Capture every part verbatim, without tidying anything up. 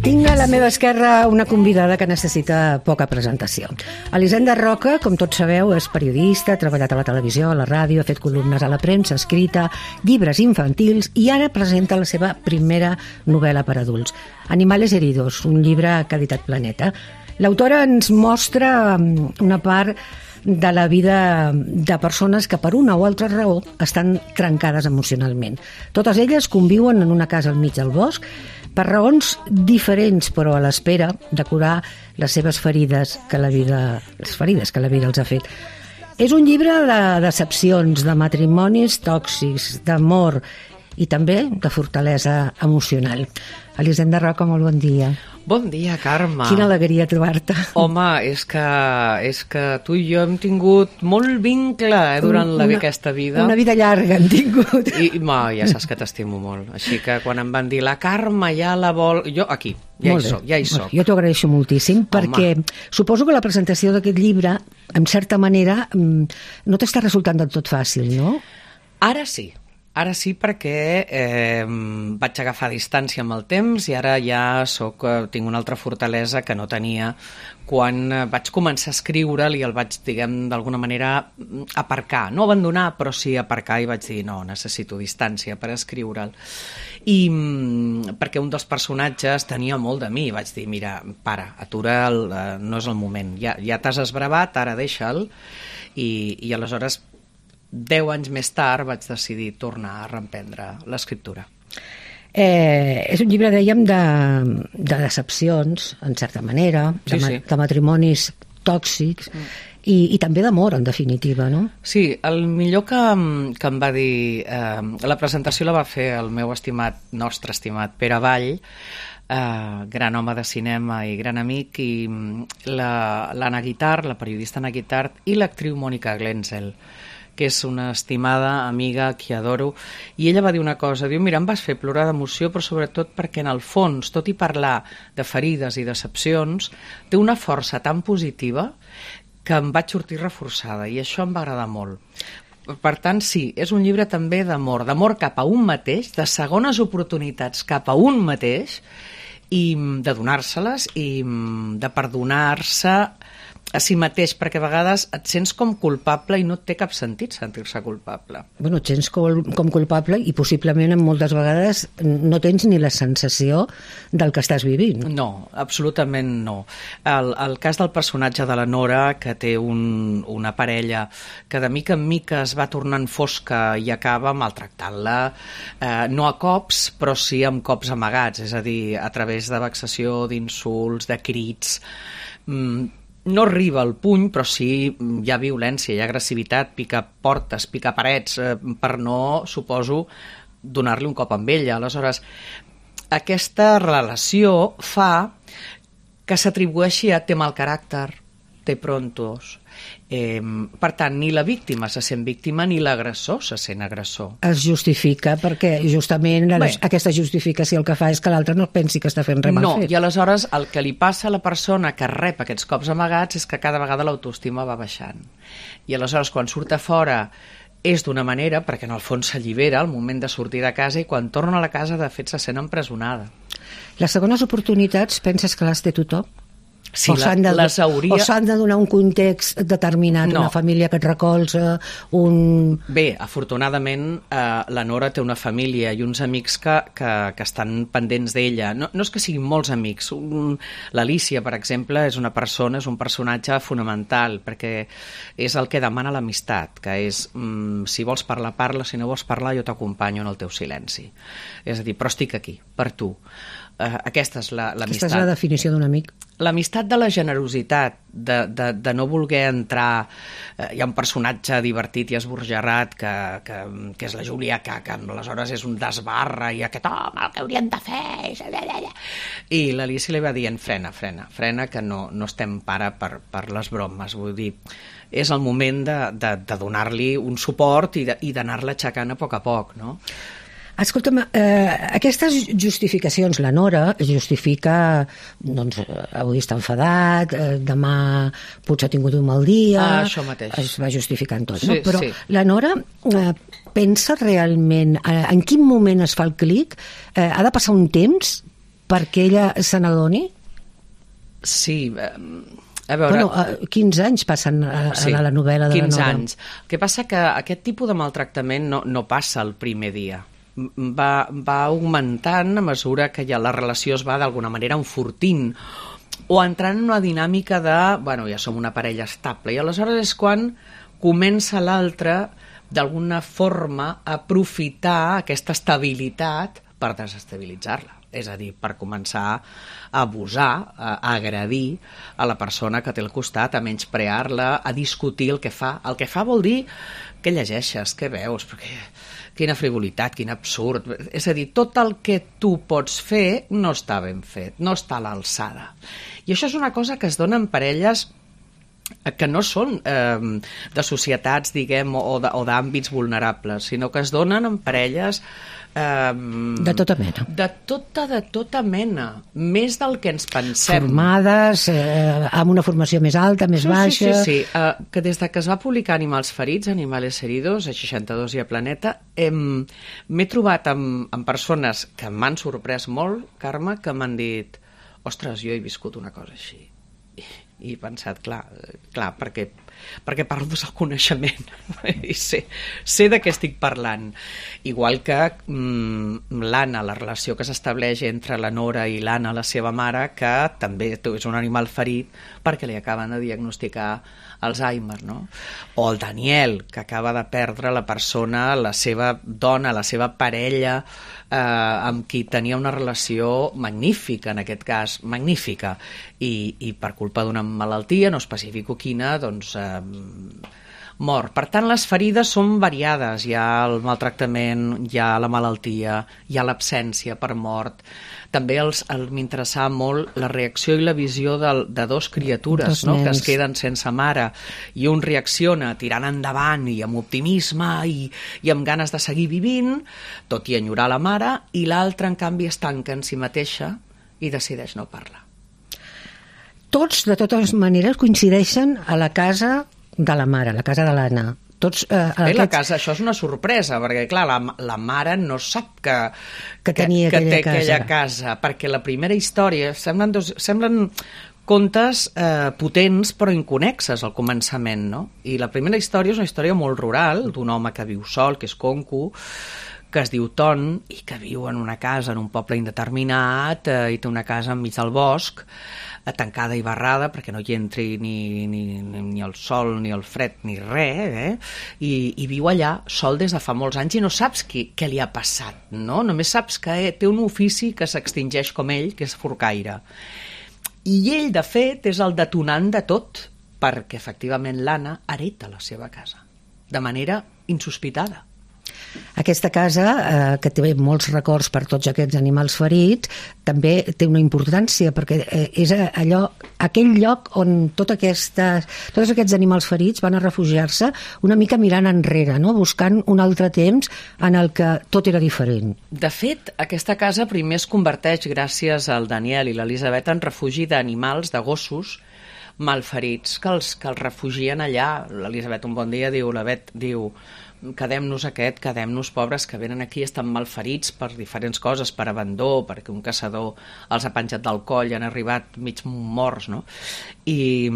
Tinc a la meva esquerra una convidada que necessita poca presentació. Elisenda Roca, com tots sabeu, és periodista, ha treballat a la televisió, a la ràdio, ha fet columnes a la premsa escrita, llibres infantils i ara presenta la seva primera novel·la per adults, Animales heridos, un llibre que ha editat Planeta. L'autora ens mostra una part de la vida de persones que per una o altra raó estan trencades emocionalment. Totes elles conviuen en una casa al mig del bosc per raons diferents, però a l'espera de curar les seves ferides que la vida, les ferides que la vida els ha fet. És un llibre de decepcions, de matrimonis tòxics, d'amor i també de fortalesa emocional. Elisenda Roca, molt bon dia. Bon dia, Carme. Quina alegria trobar-te. Home, és que, és que tu i jo hem tingut molt vincle eh, durant una, la, aquesta vida. Una vida llarga hem tingut. I ma, ja saps que t'estimo molt. Així que quan em van dir la Carme ja la vol... Jo aquí, ja hi soc, ja hi soc. Jo t'ho agraeixo moltíssim perquè Home. Suposo que la presentació d'aquest llibre, en certa manera, no t'està resultant del tot fàcil, no? Ara sí. Ara sí, perquè eh, vaig agafar distància amb el temps i ara ja soc, tinc una altra fortalesa que no tenia quan vaig començar a escriure'l i el vaig, diguem, d'alguna manera aparcar. No abandonar, però sí aparcar i vaig dir, no, necessito distància per escriure'l. I perquè un dels personatges tenia molt de mi. Vaig dir, mira, para, atura, el, no és el moment. Ja, ja t'has esbravat, ara deixa'l. I, i aleshores... Deu anys més tard vaig decidir tornar a reemprendre l'escriptura. Eh, és un llibre, dèiem, de, de decepcions, en certa manera, de, sí, sí. de matrimonis tòxics mm. i, i també d'amor, en definitiva, no? Sí, el millor que, que em va dir... Eh, la presentació la va fer el meu estimat, nostre estimat Pere Vall, eh, gran home de cinema i gran amic, i l'Anna Guitart, la periodista Anna Guitart, i l'actriu Mònica Glenzel, que és una estimada amiga que adoro, i ella va dir una cosa, diu, mira, em vas fer plorar d'emoció, però sobretot perquè en el fons, tot i parlar de ferides i decepcions, té una força tan positiva que em vaig sortir reforçada, i això em va agradar molt. Per tant, sí, és un llibre també d'amor, d'amor cap a un mateix, de segones oportunitats cap a un mateix, i de donar-se-les, i de perdonar-se a si mateix, perquè a vegades et sents com culpable i no té cap sentit sentir-se culpable. Bueno, et sents com, com culpable i possiblement en moltes vegades no tens ni la sensació del que estàs vivint. No, absolutament no. El, el cas del personatge de la Nora, que té un, una parella que de mica en mica es va tornant fosca i acaba maltractant-la, eh, no a cops, però sí amb cops amagats, és a dir, a través de vexació, d'insults, de crits... Mm, no arriba al puny, però sí hi ha violència, hi ha agressivitat, pica portes, pica parets, eh, per no, suposo, donar-li un cop amb ella. Aleshores, aquesta relació fa que s'atribueixi a té mal caràcter, té prontos. Eh, per tant, ni la víctima se sent víctima ni l'agressor se sent agressor. Es justifica perquè justament la, aquesta justificació el que fa és que l'altre no pensi que està fent res mal no, fet. I aleshores el que li passa a la persona que rep aquests cops amagats és que cada vegada l'autoestima va baixant. I aleshores quan surt a fora és d'una manera, perquè en el fons s'allibera al moment de sortir de casa, i quan torna a la casa de fet se sent empresonada. Les segones oportunitats penses que les té tothom? Sí, o s'han de, les hauria... O s'han de donar un context determinat, no. Una família que et recolza, un... Bé, afortunadament, eh, la Nora té una família i uns amics que, que, que estan pendents d'ella. No, no és que siguin molts amics. Un... L'Alícia, per exemple, és una persona, és un personatge fonamental, perquè és el que demana l'amistat, que és, mm, si vols parlar, parla, si no vols parlar, jo t'acompanyo en el teu silenci. És a dir, però estic aquí, per tu. Uh, aquesta és la, l'amistat. Aquesta és la definició d'un amic. L'amistat de la generositat, de, de, de no voler entrar... Uh, hi ha un personatge divertit i esborgerrat que, que, que és la Júlia, que, que aleshores és un desbarra i aquest home, el que hauríem de fer... I l'Alicia li va dient, frena, frena, frena, que no, no estem para per, per les bromes. Vull dir, és el moment de, de, de donar-li un suport i, de, i d'anar-la aixecant a poc a poc, no? Escolta'm, eh, aquestes justificacions, la Nora justifica, doncs, avui està enfadat, eh, demà potser ha tingut un mal dia... Ah, això mateix. Es va justificant tot, sí, no? Però sí. la Nora eh, pensa realment, eh, en quin moment es fa el clic? Eh, ha de passar un temps perquè ella se n'adoni? Sí, eh, a veure... Bueno, quinze anys passen a, a sí, la novel·la de la Nora. quinze anys. El que passa que aquest tipus de maltractament no, no passa el primer dia. Va, va augmentant a mesura que ja la relació es va d'alguna manera enfortint o entrant en una dinàmica de, bueno, ja som una parella estable, i aleshores és quan comença l'altre d'alguna forma a aprofitar aquesta estabilitat per desestabilitzar-la, és a dir, per començar a abusar, a agredir a la persona que té al costat, a menysprear-la, a discutir el que fa. El que fa vol dir què llegeixes, què veus, perquè quina frivolitat, quin absurd. És a dir, tot el que tu pots fer no està ben fet, no està a l'alçada. I això és una cosa que es dona en parelles que no són eh, de societats, diguem, o d'àmbits vulnerables, sinó que es donen en parelles Um, de tota mena. De tota, de tota mena. Més del que ens pensem. Formades, eh, amb una formació més alta, més sí, baixa... Sí, sí, sí. Uh, que des de que es va publicar Animals ferits, Animales heridos, a seixanta-dos i a Planeta, hem, m'he trobat amb, amb persones que m'han sorprès molt, Carme, que m'han dit, ostres, jo he viscut una cosa així. I, i he pensat, clar, clar perquè, perquè parlo del coneixement i sé, sé de què estic parlant. Igual que mm, l'Anna, la relació que s'estableix entre la Nora i l'Anna, la seva mare, que també és un animal ferit perquè li acaben de diagnosticar Alzheimer, no? O el Daniel, que acaba de perdre la persona, la seva dona, la seva parella, eh, amb qui tenia una relació magnífica, en aquest cas, magnífica, i, i per culpa d'una malaltia, no especifico quina, doncs eh, mort. Per tant, les ferides són variades. Hi ha el maltractament, hi ha la malaltia, hi ha l'absència per mort. També els, el, m'interessava molt la reacció i la visió de, de dos criatures, no? Que es queden sense mare, i un reacciona tirant endavant i amb optimisme i, i amb ganes de seguir vivint, tot i enyorar la mare, i l'altre, en canvi, es tanca en si mateixa i decideix no parlar. Tots, de totes maneres, coincideixen a la casa de la mare, la casa de l'Anna. Tots, eh, Bé, aquests... la casa, això és una sorpresa, perquè clar, la, la mare no sap que, que, tenia que, que té casa. aquella casa, perquè la primera història semblen, dos, semblen contes eh, potents però inconexes al començament, no? I la primera història és una història molt rural, d'un home que viu sol, que és conco, que es diu Ton i que viu en una casa en un poble indeterminat eh, i té una casa enmig del bosc, tancada i barrada perquè no hi entri ni, ni, ni el sol, ni el fred, ni res, eh? I, i viu allà sol des de fa molts anys i no saps qui, què li ha passat, no? Només saps que té un ofici que s'extingeix com ell, que és forcaire. I ell, de fet, és el detonant de tot, perquè efectivament l'Anna hereta la seva casa, de manera insospitada. Aquesta casa, eh, que té molts records per tots aquests animals ferits, també té una importància, perquè eh, és allò, aquell lloc on tot aquesta, tots aquests animals ferits van a refugiar-se una mica mirant enrere, no? Buscant un altre temps en el que tot era diferent. De fet, aquesta casa primer es converteix, gràcies al Daniel i l'Elisabet, en refugi d'animals, de gossos malferits, que els, que els refugien allà. L'Elisabet un bon dia diu, la Bet diu, quedem-nos aquest, quedem-nos pobres que venen aquí, estan malferits per diferents coses, per abandó, perquè un caçador els ha penjat del coll i han arribat mig morts, no? I,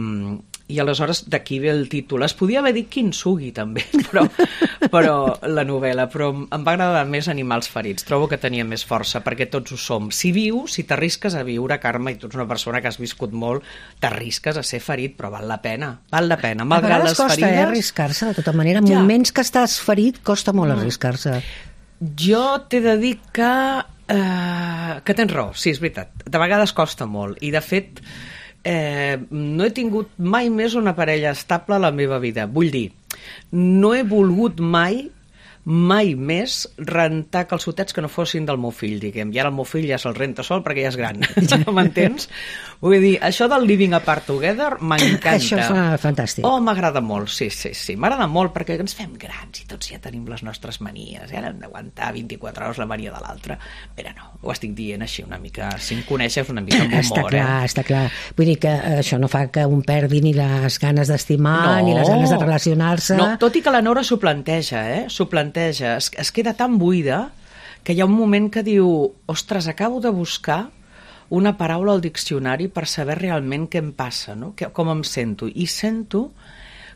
i aleshores d'aquí ve el títol. Es podia haver dit Kintsugi també, però, però la novel·la, però em va agradar més Animals ferits. Trobo que tenia més força, perquè tots ho som. Si vius, si t'arrisques a viure, Carme, i tu ets una persona que has viscut molt, t'arrisques a ser ferit, però val la pena, val la pena. Malgrat les costa, ferides... eh, arriscar-se, de tota manera. En ja. moments que estàs ferit, costa molt arriscar-se. Jo t'he de dir que, eh, que tens raó, sí, és veritat. De vegades costa molt, i de fet... Eh, no he tingut mai més una parella estable a la meva vida. Vull dir, no he volgut mai mai més rentar calçotets que no fossin del meu fill, diguem. I ara el meu fill ja se'l renta sol perquè ja és gran. Ja m'entens? Vull dir, això del living apart together m'encanta. Això és fantàstic. Oh, m'agrada molt, sí, sí, sí. M'agrada molt perquè ens fem grans i tots ja tenim les nostres manies. I ara hem d'aguantar vint-i-quatre hores la mania de l'altra. Però no, ho estic dient així una mica, si em coneixes una mica amb humor. Està clar, eh? està clar. Vull dir que això no fa que un perdi ni les ganes d'estimar, no, ni les ganes de relacionar-se. No, tot i que la Nora s'ho planteja, eh? S'ho planteja. Es, es queda tan buida que hi ha un moment que diu, ostres, acabo de buscar una paraula al diccionari per saber realment què em passa, no? Que, com em sento. I sento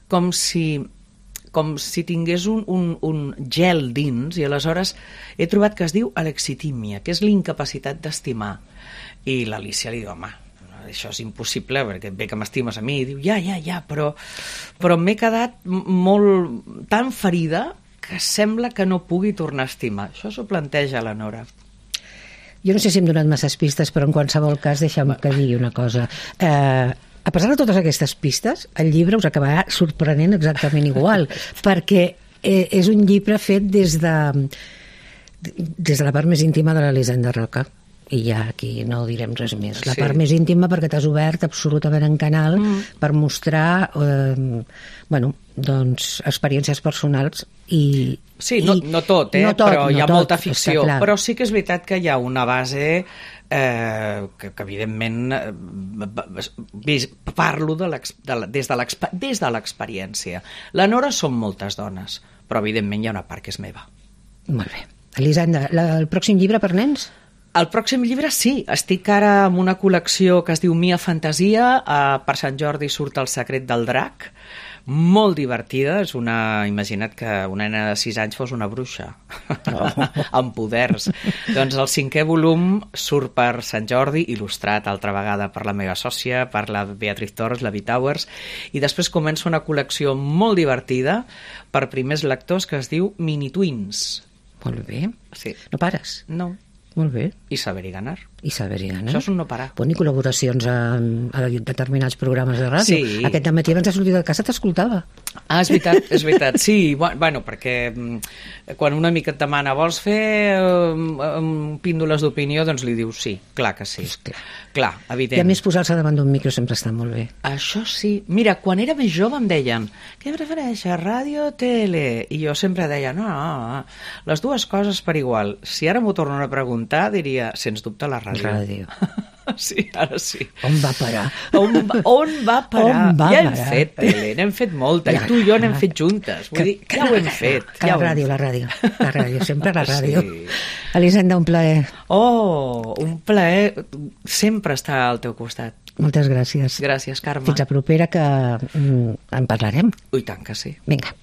com si, com si tingués un, un, un gel dins, i aleshores he trobat que es diu alexitímia, que és l'incapacitat d'estimar. I l'Alícia li diu, home, això és impossible, perquè bé que m'estimes a mi, i diu, ja, ja, ja, però, però m'he quedat molt tan ferida que sembla que no pugui tornar a estimar. Això s'ho planteja la Nora. Jo no sé si hem donat masses pistes, però en qualsevol cas deixa'm que digui una cosa. Eh, a pesar de totes aquestes pistes, el llibre us acabarà sorprenent exactament igual, perquè eh, és un llibre fet des de, des de la part més íntima de l'Elisenda Roca. I ja aquí no direm res més. La Sí. part més íntima perquè t'has obert absolutament en canal mm. per mostrar eh, bueno, doncs, experiències personals i... Sí, no, i, no tot, eh? no tot, però no hi ha tot, molta ficció. clar. Però sí que és veritat que hi ha una base eh, que, que evidentment eh, parlo de de la, des de l'experiència. La Nora són moltes dones, però evidentment hi ha una part que és meva. Molt bé. Elisenda, la, el pròxim llibre per nens? El pròxim llibre sí, estic ara amb una col·lecció que es diu Mia Fantasia, eh, per Sant Jordi surt El secret del drac, molt divertida, és una, imagina't que una nena de sis anys fos una bruixa, oh. amb poders. Doncs el cinquè volum surt per Sant Jordi, il·lustrat altra vegada per la meva sòcia, per la Beatriz Torres, la Bitowers, i després comença una col·lecció molt divertida per primers lectors que es diu Mini Twins. Molt bé. Sí. No pares? No. Molt bé. I saber-hi ganar. I saber-hi ganar. Això és un no parar. Bueno, i col·laboracions a, a determinats programes de ràdio. Sí. Aquest dematí abans de sortir de casa t'escoltava. Ah, és veritat, és veritat. Sí, bueno, perquè quan una mica et demana vols fer um, píndoles d'opinió, doncs li dius sí, clar que sí. Clar. Clar, evident. I a més posar-se davant d'un micro sempre està molt bé. Això sí. Mira, quan era més jove em deien què prefereixes, ràdio o tele? I jo sempre deia, no, no, no, les dues coses per igual. Si ara m'ho tornen a preguntar, diria, sens dubte, la ràdio. Ràdio. Sí, ara sí. On va parar? On va, on va parar? On va ja hem parar? fet tele, n'hem fet molta, i tu i jo n'hem fet juntes. Vull que, dir, ja ho hem fet. Que ja la ràdio, la ràdio, la ràdio, sempre la ràdio. Sí. Elisenda, un plaer. Oh, un plaer sempre estar al teu costat. Moltes gràcies. Gràcies, Carme. Fins a propera, que mm, en parlarem. Ui, tant que sí. Vinga.